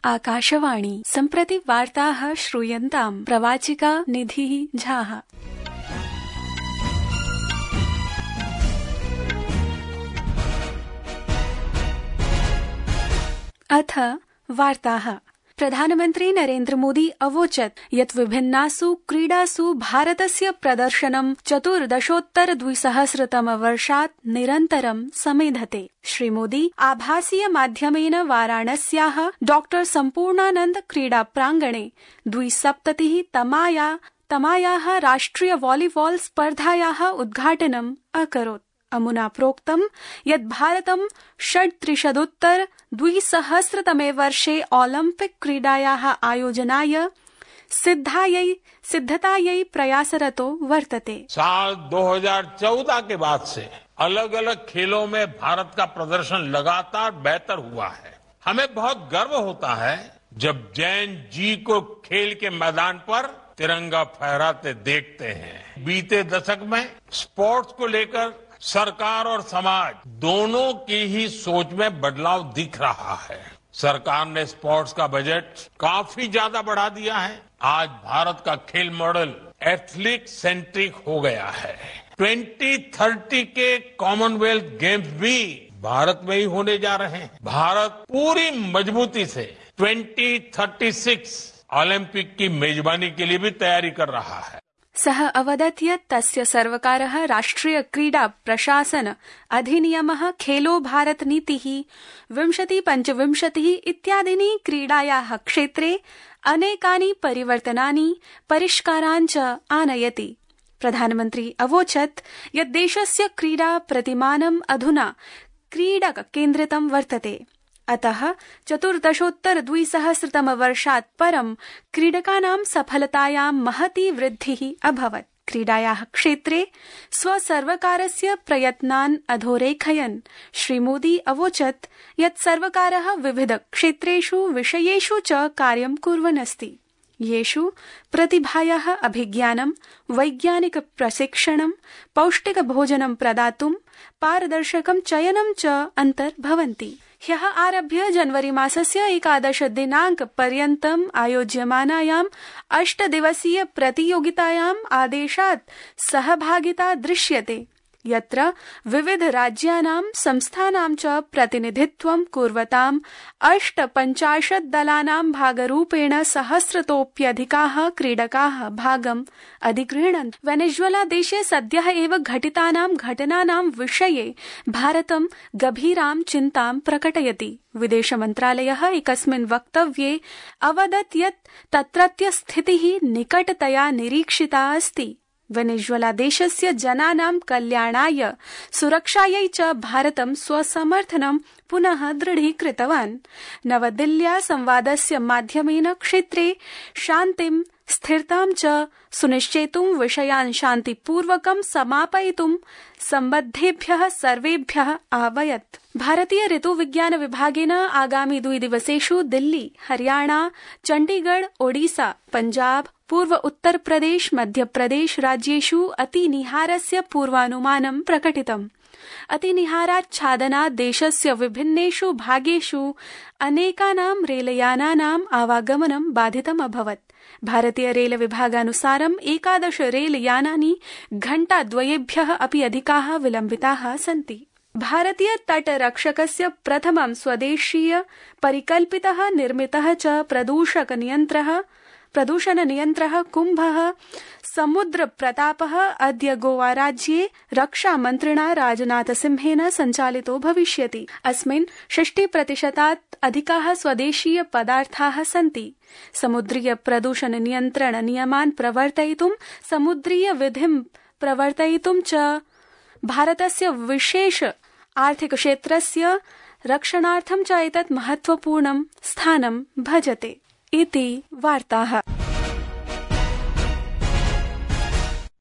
आकाशवाणी। सम्प्रति वार्ताः श्रूयन्ताम् प्रवाचिका निधिः झाः। अथ वार्ताः। प्रधानमन्त्री नरेन्द्र मोदी अवोचत् यत् विभिन्नासु क्रीडासु भारतस्य प्रदर्शनं 14,2000-तमवर्षात् निरन्तरं समेधते। श्रीमोदी आभासीय माध्यमेन वाराणस्याः डॉ सम्पूर्णानन्द क्रीडा प्राङ्गणे 270तमायाः राष्ट्रिय वॉलीबॉल स्पर्धायाः उद्घाटनम् अकरोत्। अमुना प्रोक्तं यत् भारतं 2030तमे वर्षे ओलम्पिक क्रीडायाः आयोजनाय सिद्धतायै प्रयासरतो वर्तते। साल 2014 के बाद से अलग अलग खेलों में भारत का प्रदर्शन लगातार बेहतर हुआ है। हमें बहुत गर्व होता है जब जैन जी को खेल के मैदान पर तिरंगा फहराते देखते हैं। बीते दशक में स्पोर्ट्स को लेकर सरकार और समाज दोनों की ही सोच में बदलाव दिख रहा है। सरकार ने स्पोर्ट्स का बजट काफी ज्यादा बढ़ा दिया है। आज भारत का खेल मॉडल एथलीट सेंट्रिक हो गया है। 2030 के कॉमनवेल्थ गेम्स भी भारत में ही होने जा रहे हैं। भारत पूरी मजबूती से 2036 ओलंपिक की मेजबानी के लिए भी तैयारी कर रहा है। सः अवदत् यत् तस्य सर्वकारः राष्ट्रिय क्रीडा प्रशासन अधिनियमः, खेलो भारत नीतिः, 2025 इत्यादीनि क्रीडायाः क्षेत्रे अनेकानि परिवर्तनानि परिष्कारान् च आनयति। प्रधानमन्त्री अवोचत् यत् देशस्य क्रीडा प्रतिमानम् अधुना क्रीडक केन्द्रितं वर्तते। अतः 14,2000-तमवर्षात् परं क्रीडकानां सफलतायां महती वृद्धिः अभवत्। क्रीडायाः क्षेत्रे स्वसर्वकारस्य प्रयत्नान् अधोरेखयन् श्रीमोदी अवोचत् यत् सर्वकारः विविध क्षेत्रेषु विषयेषु च कार्यं कुर्वन् अस्ति, येषु प्रतिभायाः अभिज्ञानं, वैज्ञानिक प्रशिक्षणं, पौष्टिक भोजनं प्रदातुं पारदर्शकं चयनं च अन्तर्भवन्ति। ह्यः आरभ्य जनवरी मासस्य 11 दिनाङ्क पर्यन्तम् आयोज्यमानायाम् 8 दिवसीय प्रतियोगितायाम् आदेशात् सहभागिता दृश्यते, यत्र विविध राज्यानां संस्थानां च प्रतिनिधित्वं कुर्वताम् 58 दलानां भागरूपेण 1000तोऽप्यधिकाः क्रीडकाः भागम् अधिगृह्णन्। वेनेजुएला देशे सद्यः एव घटितानां घटनानां विषये भारतं गभीरां चिन्तां प्रकटयति। विदेश मन्त्रालयः एकस्मिन् वक्तव्ये अवदत् यत् तत्रत्य स्थितिः निकटतया निरीक्षिता अस्ति। वेनेजुएला देशस्य जनानां कल्याणाय सुरक्षायै च भारतं स्वसमर्थनं पुनः दृढीकृतवान्। नवदिल्ल्या संवादस्य माध्यमेन क्षेत्रे शान्तिं, स्थिरतां च सुनिश्चेतुं विषयान् शान्तिपूर्वकं समापयितुं सम्बद्धेभ्यः सर्वेभ्यः आह्वयत्। भारतीय ऋतुविज्ञान विभागेन आगामि 2 दिवसेषु दिल्ली, हरियाणा, चण्डीगढ़, ओडिसा, पञ्जाब, पूर्व उत्तर प्रदेश, मध्यप्रदेश राज्येषु अतिनिहारस्य पूर्वानुमानं प्रकटितम्। अतिनिहाराच्छादनात् देशस्य विभिन्नेषु भागेषु अनेकानां रेलयानानाम् आवागमनं बाधितम् अभवत्। भारतीय रेल विभागानुसारं 11 रेलयानानि घण्टाद्वयेभ्यः अपि अधिकाः विलम्बिताः सन्ति। भारतीय तटरक्षकस्य प्रथमं स्वदेशीय परिकल्पितः निर्मितः च प्रदूषणनियन्त्रः कुम्भः समुद्र प्रतापः अद्य गोवा राज्ये रक्षामन्त्रिणा राजनाथसिंहेन सञ्चालितो भविष्यति। अस्मिन् 60% अधिकाः स्वदेशीय पदार्थाः सन्ति। समुद्रीय प्रदूषण नियन्त्रण नियमान् प्रवर्तयितुं, समुद्रीय विधिं प्रवर्तयितुं च भारतस्य विशेष आर्थिक क्षेत्रस्य रक्षणार्थं च एतत् महत्वपूर्णं स्थानं भजते इति वार्ताः।